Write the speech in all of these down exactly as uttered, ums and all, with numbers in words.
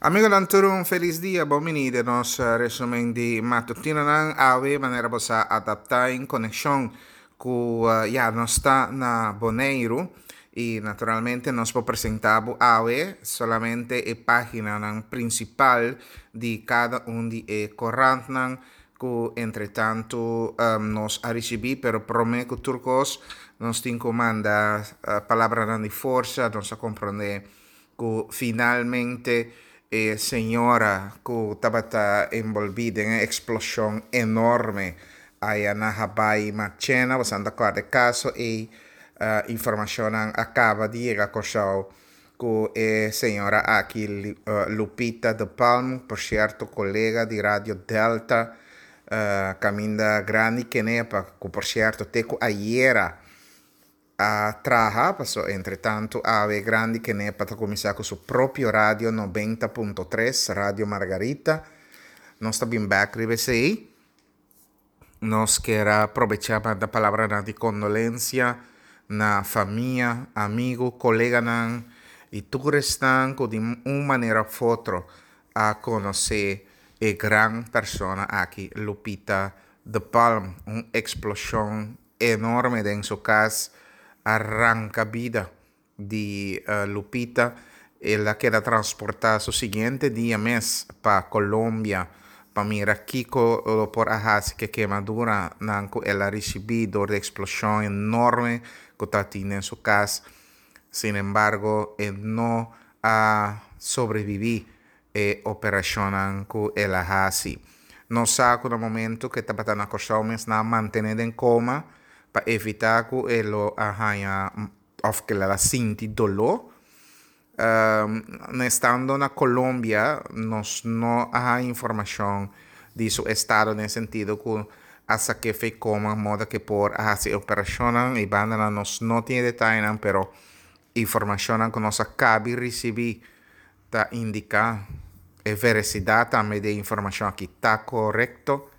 Amigonan tur un felis dia, bon bini den nos resumen di matutinonan. Awe manera bo sa adapta en konekshon ku ya nos ta na Boneiru i naturalmente nos por presenta bo awe solamente e paginanan prinsipal di kada un di e korantnan ku entretantu nos a risibí. Pero promé ku tur kos nos tin ku manda palabranan di forsa. Nos a komprondé ku finalmente e señora ku tabata enbolbí den e eksploshon enorme aya na Habaai Marchena, boso ta kòrda e kaso ei, informashonnan a kaba di yega Kòrsou ku e señora aki, Lupita de Palm, por sierto kolega di Radio Delta, kaminda grandi kenepa ku por sierto te ku ayera a traha, paso entretantu awe grandi Kenepa ta kuminsá ku su propio radio nobenta punto tres, Radio Margarita. Nos ta bin bèk riba esei. Nos kier a probechá manda palabranan di kondolensia na famia, amigu, koleganan i tur esnan ku di un manera òf otro a konosé e gran persona aki, Lupita de Palm. Un eksploshon enorme den su kas a ranka bida di Lupita. El a keda transportá su siguiente dia mes pa Colombia pa mira kiko lo por a hasi ku e kemaduranan ku el a risibí dor di e eksploshon enorme ku ta tin den su kas. Sin embargo, e no a sobreviví e operashonnan ku el a hasi. Nos sa ku na momento ku e tabata na Kòrsou mes nan a mantené den koma pa evitá ku e lo a haña òf ku el a sinti doló. Estando na Colombia nos no a haña informashon di su estado den sentido ku a sak'é for di koma moda ku por a hasi e operashonnan i bandanan nos no tin e detayenan, pero informashonnan ku nos a kabi risibí ta indiká e veresidat tambe di e informashon aki ta korekto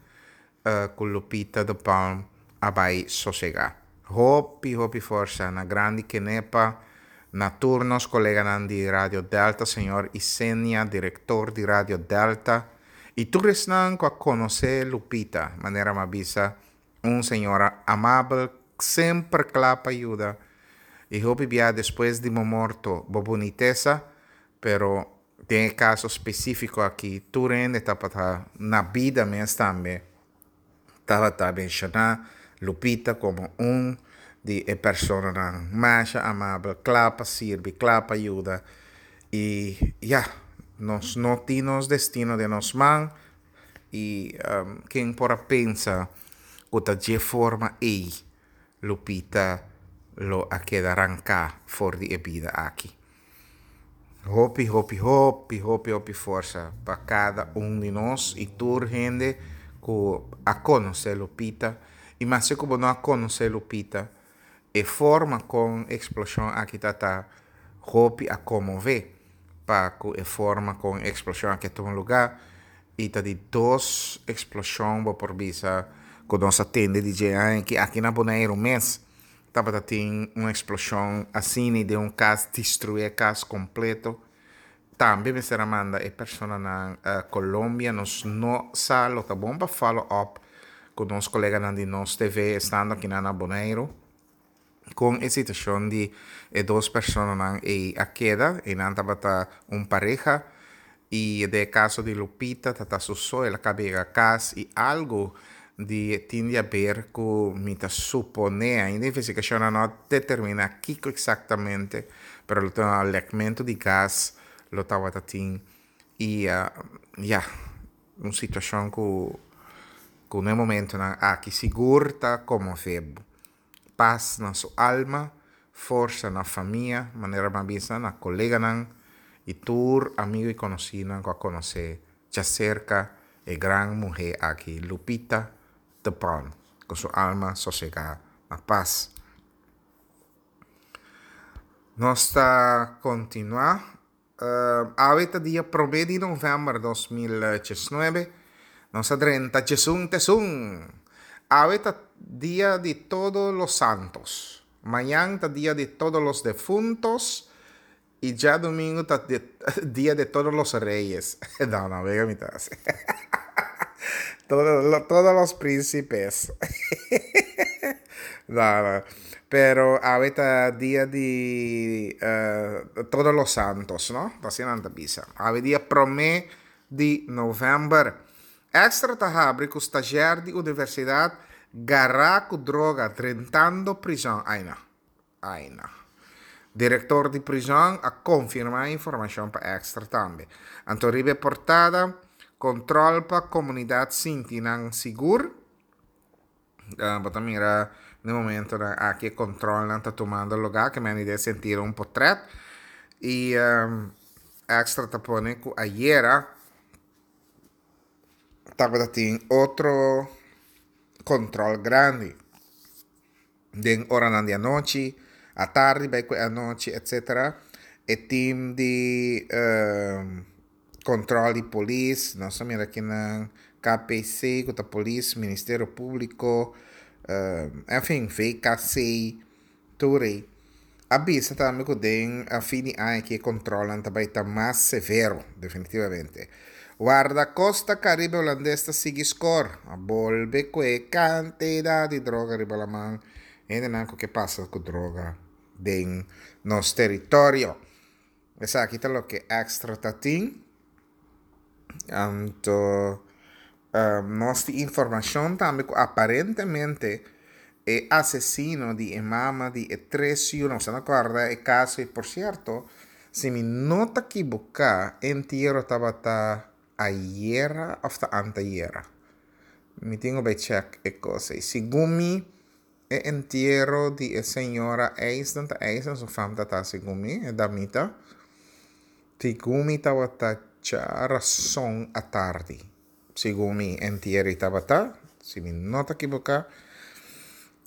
ku Lupita de Palm a bai sosegá. Hopi hopi forsa na grandi Kenepa, na tur nos koleganan di Radio Delta, señor Isenia, direktor di Radio Delta, i tur esnan ku a konosé Lupita, manera mi a bisa, un señora amabel, semper kla pa yuda, i hopi bia despues di bo morto bo bunitesa, pero den e kaso spesífiko aki tur hende tabata na bida mes tambe tabata menshoná Lupita komo un di e personanan masha amabel, kla pa sirbi, kla pa yuda. I ya, nos no tin nos destino den nos man i ken por a pensa ku ta dje forma ei Lupita lo a keda ranká for di e bida aki. Hopi, hopi, hopi, hopi, hopi forsa pa kada un di nos i tur hende ku a konosé Lupita. I maske ku bo no a konosé Lupita, e forma kon e eksploshon aki ta ta hopi a konmové pa ku e forma kon e eksploshon aki a tuma lugá. I ta di dos eksploshon bo por bisa ku nos a tende di dje aña aki na Boneiru mes tabata tin un eksploshon asina den un kas, destruí e kas kompleto. Tambe mester a manda e personanan Colombia. Nos no sa, lo ta bon pa follow up ku nos koleganan di Nos T V estando akinan na Boneiru kon e situashon di e dos personanan ei a keda. Einan tabata un pareha i den e kaso di Lupita tata su so el a kaba yega kas i algu di tin di haber ku mi ta suponé, ainda investigashonnan no a determiná kiko eksaktamente, pero lo ta lekmentu di gas lo tabata tin i ya, un situashon ku ku na e momentonan aki sigur ta konmové bo. Pas na su alma, forsa na famia, manera mi a bisa, na koleganan i tur amigu i konosínan ku a konosé djaserka e gran muhé aki, Lupita de Palm. Ku su alma sosegá na pas. Nos ta kontinuá. Awe ta dia promé di novèmber dos mil diesnuebe. Nos a drenta djesun tesun. Awe ta dia di Todos los Santos. Mañan ta dia di Todos los Defuntos. I djadumingu ta dia de todos los reyes. No, no, wega mi ta hasi. Todos, todos los príncipes. No, no. Pero awe ta dia di uh, todos los santos, no? Asina nan ta bisa. Awe dia promé di novèmber. Extra ta habri ku stagiair di universidat gará ku droga drentando prizòn. Ai no. Ai no. Direktor di prizòn a konfirmá e informashon pa Extra tambe. Anto riba e portada, Kontrol pa komunidat sinti nan sigur. Bo ta mira den momentonan aki e kontrolnan ta tumando lugá, ke men den sentido un potrèt. I Extra ta pone ku ayera tabata tin otro kontrol grandi den oranan di anochi, atardi bai ku e anochi etcetera. E team di Control di polis, nos a mira kinan K P C cu ta polis, Ministerio Publico, en fin V K C tur ey. A bisa tambe cu den fin di aña aki e controlnan ta bay ta mas severo definitivamente. Guardacosta Caribe Holandes ta sigui score, a bolbe cu e cantidad di droga riba laman, hendenan cu ke pasa cu droga den nos teritorio. Esaki ta loke Extra ta tin. Anto nos tin informacion tambe cu aparentemente e asesino di e mama di e tres yu, nos a corda e caso y por cierto, si mi no ta equivoca, entiero tabata ayera of ta antayera. Mi tin cu bay check e cos ey. Segun mi, e entiero di e señora Eisden, ta Eisden su fam ta ta segun mi, e damita. Segun mi tabata djarason atardi. Segun mi entiero tabata, si mi no ta equivoca.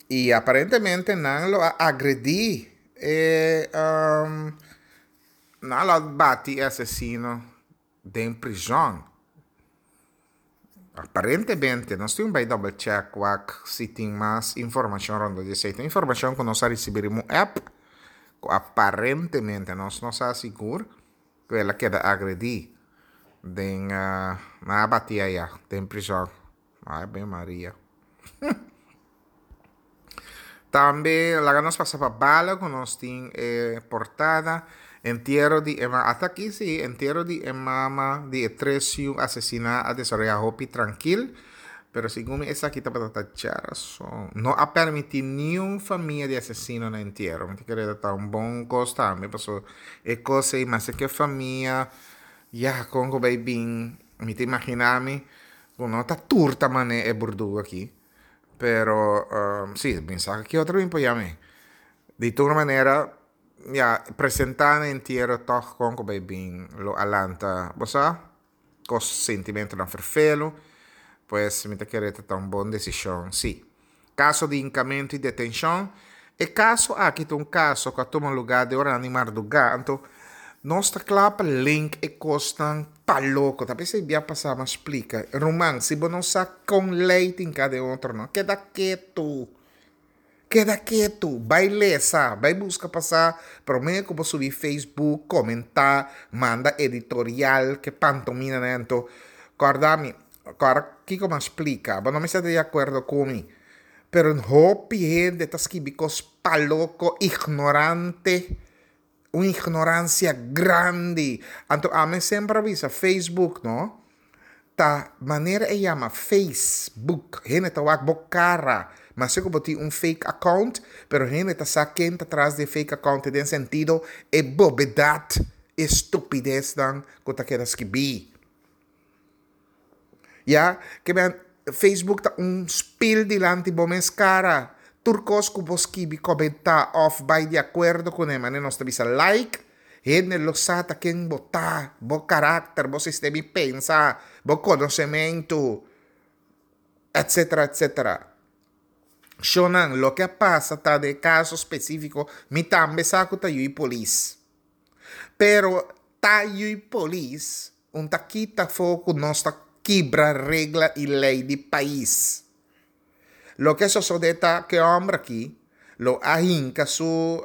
Y aparentemente nan lo a agredi e um, nan lo a bati e asesino den prison. Aparentemente, nos tin bay double check wak si tin mas informacion rond di esey. Tin informacion cu nos a ricibi un app cu aparentemente nos no sa sigur cu el a keda agredi den uh, nan a bati aya den prison. Ave Maria. Tambe laga nos pasa pa Bala cu nos tin e portada. Entiero di e mama, ata aki si, entiero di e mama di e tres yu asesina a desaroya hopi trankil. Pero segun mi esaki tabata ta djarason. No a permiti niun famia di asesino na entiero. Mi ta kere ta un bon cos tambe paso e cos ey maske ke famia ya con cu bay bin mi ta imagina mi cu no ta tur ta mane e burdugo aki. Pero si mi sa ki otro mi por yam'e. Di tur manera ya presenta na entiero tog con cu bay bin lo a lanta bo sa cos sentimentonan ferfelo pues mi ta kere ta ta un bon decision si. Caso di hincamento y detencion. E caso aki ta un caso cu a tuma lugar den oranan di marduga anto nos ta cla pa link e cosnan pa loco ta pesey bia pasa mas splica ruman si bo no sa con ley tin ca den otro no keda ketu keda ketu bay lesa bay busca pasa prome cu bo subi Facebook comenta manda editorial ke pantomina nan anto corda mi corda kico mas splica bo no mester ta di acuerdo cu mi pero hopi hende ta skibi cos pa loco ignorante. Un ignorancia grandi. Anto ami semper a bisa Facebook no ta manera e yama Facebook hende ta wak bo cara maske cu bo tin un fake account pero hende ta sa ken ta tras di e fake account den sentido e bobedad e stupideznan cu ta keda skibi. Ya, ke men Facebook ta un spil dilanti bo mes kara. Tur kos ku bo skibi, komentá òf bai di akuerdo kuné, manera nos ta bisa like, hende lo sa ta ken bo ta, bo karakter, bo sistema di pensa, bo konosementu, etsetera, etsetera. Shonnan, loke a pasa ta den e kaso spesífiko, mi tambe sa ku ta yui polis. Pero ta yui polis un ta kita afó ku nos ta kibra regla i lei di pais. Loke a sosodé ta ku e hòmber akí lo a hinka su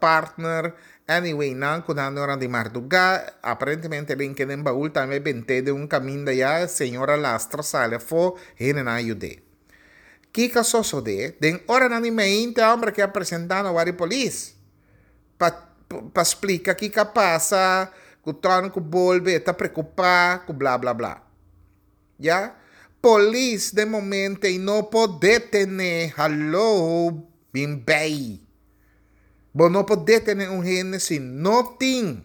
partner Anyway, nan ku nan ora di mardugá, aparentemente den ke den baul tambe bent'é den un kaminda ya, señora lastra sali afó, hendenan a yud'é. Kiko a sosodé? Den oranan di meinta e hòmber ke a presentá na wari polis pa pa splika kiko a pasa, ku tòn ku bolbe, e ta preokupá ku bla bla bla. Ya? Polis den momento ei no por detené, haló, bin bei. Bo no por detené un hende si no tin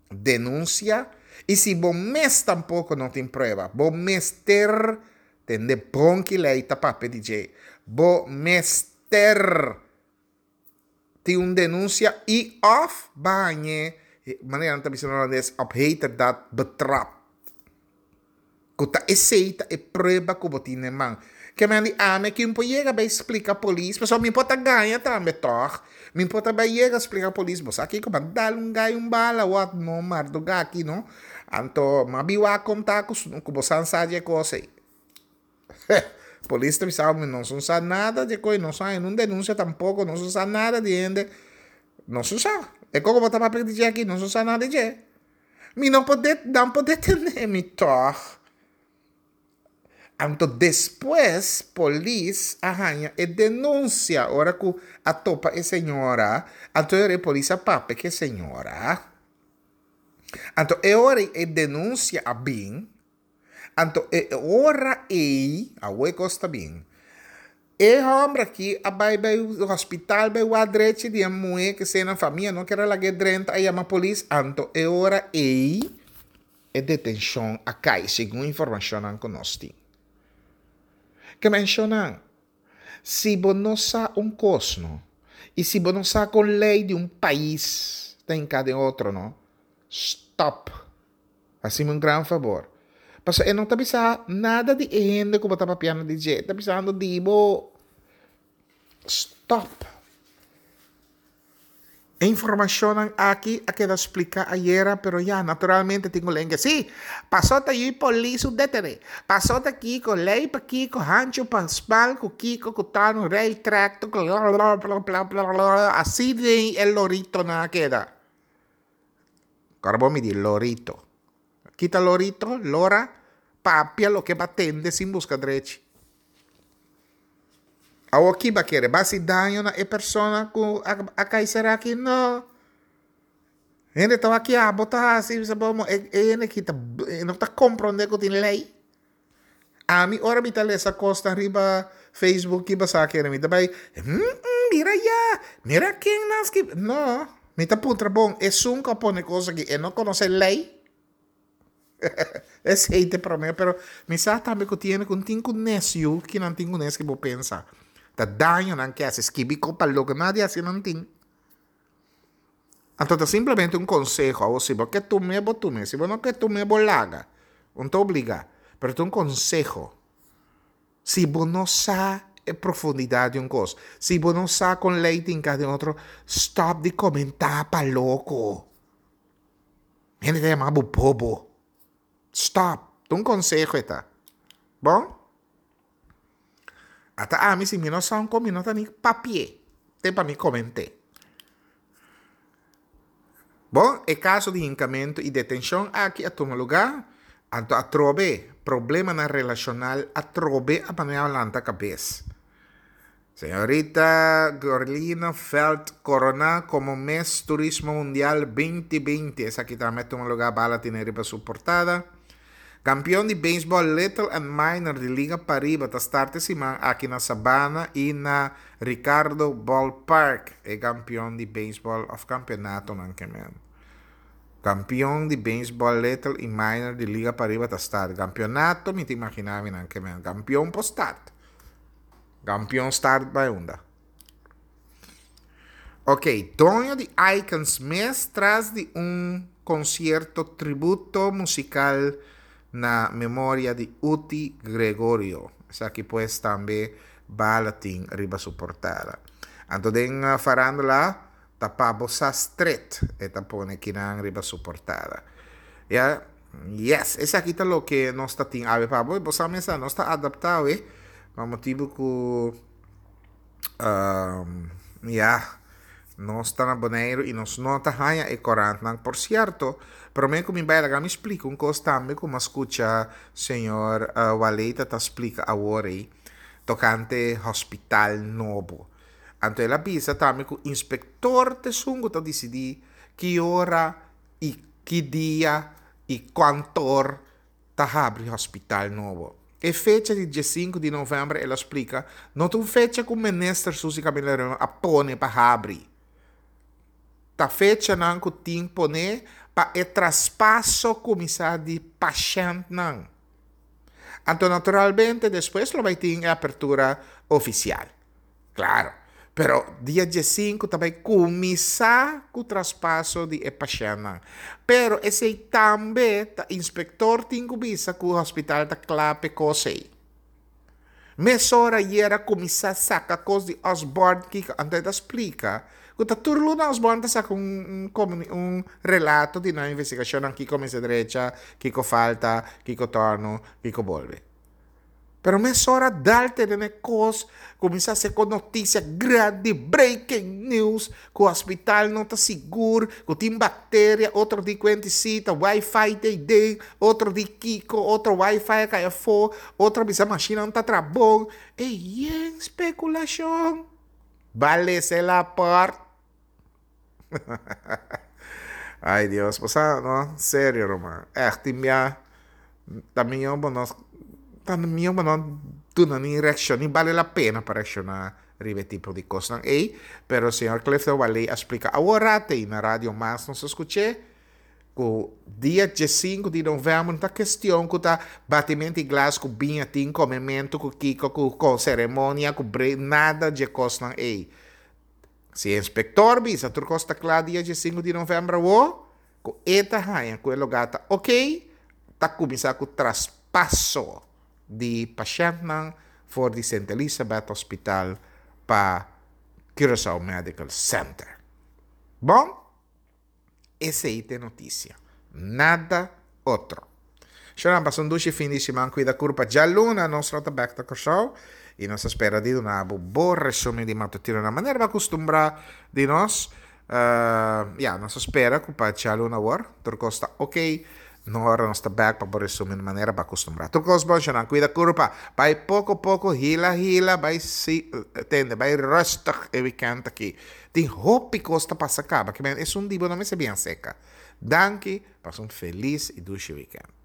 denunsia i si bo mes tampoko no tin prueba. Bo mester tende bon ki lei ta papia di dje. Bo mester tin un denunsia i òf bañ'e, manera nan ta bisa na holandes, op heterdaad betrap. Ku ta esei ta e prueba ku bo tin den man. Ke men di ami kin por yega bai splika polis pasobra mi por ta gaña tambe tòg. Mi por ta bai yega splika polis bo sa kiko m'a dal un gai un bala wòt no marduga aki no. Anto m'a bin wak konta ku ku bo san sa di e kos ei. Polis ta bisa mi nos no sa nada di e kos ei, nos no haña nun denunsia tampoko, nos no sa nada di hende. Nos no sa. E kos ku bo ta papia di dje aki nos no sa nada di dje. Mi no por det nan por detené mi tòg. Anto despues polis a haña e denunsia ora ku a topa e señora, anto e ora e polis a papia ku e señora. Anto e ora ei e denunsia a bin, anto e ora ei, awor e kos ta bin, E hòmber aki a bai bai hospital bai wak drechi di e muhé kesei nan famia no kier a lag'é drenta a yama polis anto e ora ei e detenshon a kai segun informashonnan ku nos tin. Ke menshoná si bo no sa un kos no i si bo no sa kon lei di un pais ta hinká den otro no stòp. Hasi mi un gran fabor. Pasobra e no ta bisa nada di e hende ku bo ta papiando di dje. E ta bisando di bo. Stop. E informashonnan aki a keda splika ayera, pero ya, naturalmente tin ku lenga. Sí, pasó ta yui polis un detené. Pasó ta kiko, lei pa kiko, hanchu pa smal ku kiko, ku tanu, rei trèk, así den e loritonan a keda. Ora bo midi lorito. Kita lorito, lora, papia loke ba tende sin buska drechi. Awor ki ba kere? Ba hasi daño na e persona ku a kai sera aki? No. Hende ta wak ya bo ta hasi bisa bo e hende aki ta no ta kompronde ku tin lei. Ami ora mi ta lesa kosnan riba Facebook ki basá kere mi ta bai mira ya, mira ken nan skibi. No, mi ta puntra bon esun ku a pone kos aki e no konosé lei? Esei ta e promé pero mi sa tambe ku tiene ku tin ku nes yu kinan tin ku nes ki bo pensa ta daño nan ke hasi skibi ko pa loke nadie hasi nan tin. Anto ta simplemente un konseho awor si bo ke tum'é bo tum'é si bo no ke tum'é bo laga un ta obligá pero ta un konseho si bo no sa e profundidat di un kos si bo no sa kon lei tin ka den otro stòp di komentá pa loko hende ta yama bo bobo stòp ta un konseho e ta bon. Ata ami si mi no sa un kos mi no ta ni papi'é te pa mi koment'é. Bon, e kaso di hinkamentu i detenshon aki a tuma lugá, anto atrobe problemanan relashonal atrobe a manera lanta kabes. Señorita Gorlina Veld koroná komo Miss Turismo Mundial binti binti. Esaki tambe a tuma lugá bala tene riba su portada. Kampion di beisbòl Little and Minor di Liga Pariba ta start e siman aki na Sabana i na Ricardo Ballpark. E kampion di beisbòl òf kampionatonan ke men. Kampion di beisbòl Little i Minor di Liga Pariba ta start. Kampionato mi ta imaginá mi nan ke men. Kampion por start. Kampion start bai unda? Ok, doño di Icons mes tras di un konsierto tributo musikal na memoria di Uti Gregorio. Esaki pues tambe bala tin riba su portada. Anto den farándula ta pa bo sa stret e ta pone kinan riba su portada. Ya, yes, esaki ta loke nos ta tin awe pa bo. Bo sa mesa nos ta adapta awe pa motibu ku. Um, ya, Nos ta na Boneiru i nos no ta haña e korantnan. Por sierto, promé ku mi bai laga mi splika un kos tambe ku mi a skucha señor Waleta ta splika awor ei tokante hospital nobo. Anto el a bisa tambe ku inspektor ta esun ku ta disidí ki ora i ki dia i kuantor ta habri hospital nobo. E fecha di diesinku di novèmber, el a splika, no ta un fecha ku minister Suzy Camelia-Römer a pone pa habri. Ta fechanan ku tin pone pa e traspaso kuminsá di pashèntnan. Anto naturalmente despues lo bai tin e apertura ofisial. Klaro. Pero dia diesinku ta bai kuminsá ku traspaso di e pashèntnan. Pero esei tambe ta inspektor tin ku bisa ku hospital ta kla p'e kos ei. Mesora ayera kuminsá saka kos di Osborn kiko, anto e ta splika ku ta tur luna Osborn ta saka un un un relato di nan investigashonnan, kiko mester drecha, kiko falta, kiko tòrnu, kiko bolbe. Pero mesora dal tene na e kos, kuminsá hasi ku notisia grandi, breaking news, ku hospital no ta sigur, ku tin bakteria, otro di kuenti si ta wifi ta ei den, otro di kiko, otro wifi a kai afó, otro a bisa mashinnan ta traha bon. E yen spekulashon. Bale se la pòrt. Ay Dios, bo sa no, serio ruman, ègt tin bia ta mihó bo no ta mihó bo no duna ni reakshon, ni bale la pena pa reakshoná riba e tipo di kosnan ei. Pero señor Clifton Wallé a splika awor rate i na Radio Mas nos a skuch'é ku dia diesinku di novèmber no ta kestion ku ta batimento di glas ku biña tin komementu ku kiko ku seremonia ku bre nada dje kosnan ei. Si e inspektor bisa tur kos ta kla dia diesinku di novèmber awo, ku e ta haña ku e lugá ta oké, ta kuminsá ku traspaso di pashèntnan for di Sint Elisabeth Hospital pa Curaçao Medical Center. Bon, esei ta e notisia. Nada otro. Shonnan, pasa un dushi fin di siman, kuida kurpa. Djaluna nos lo ta bèk ta Kòrsou i nos ta spera di duna bo bo resumen di matutino na manera bo a kustumbrá di nos. Ya, nos ta spera ku pa djaluna awor tur kos ta oké. No ora nos ta bèk pa bo resumen di manera bo a kustumbrá. Tur kos bon, shonnan, kuida kurpa. Bai poko poko, hila hila, bai si tende, bai rustig e wikènt aki. Tin hopi kos ta pasa kaba, ke men esun di bo no mester bien seka. Danki, pasa un felis i dushi wikènt.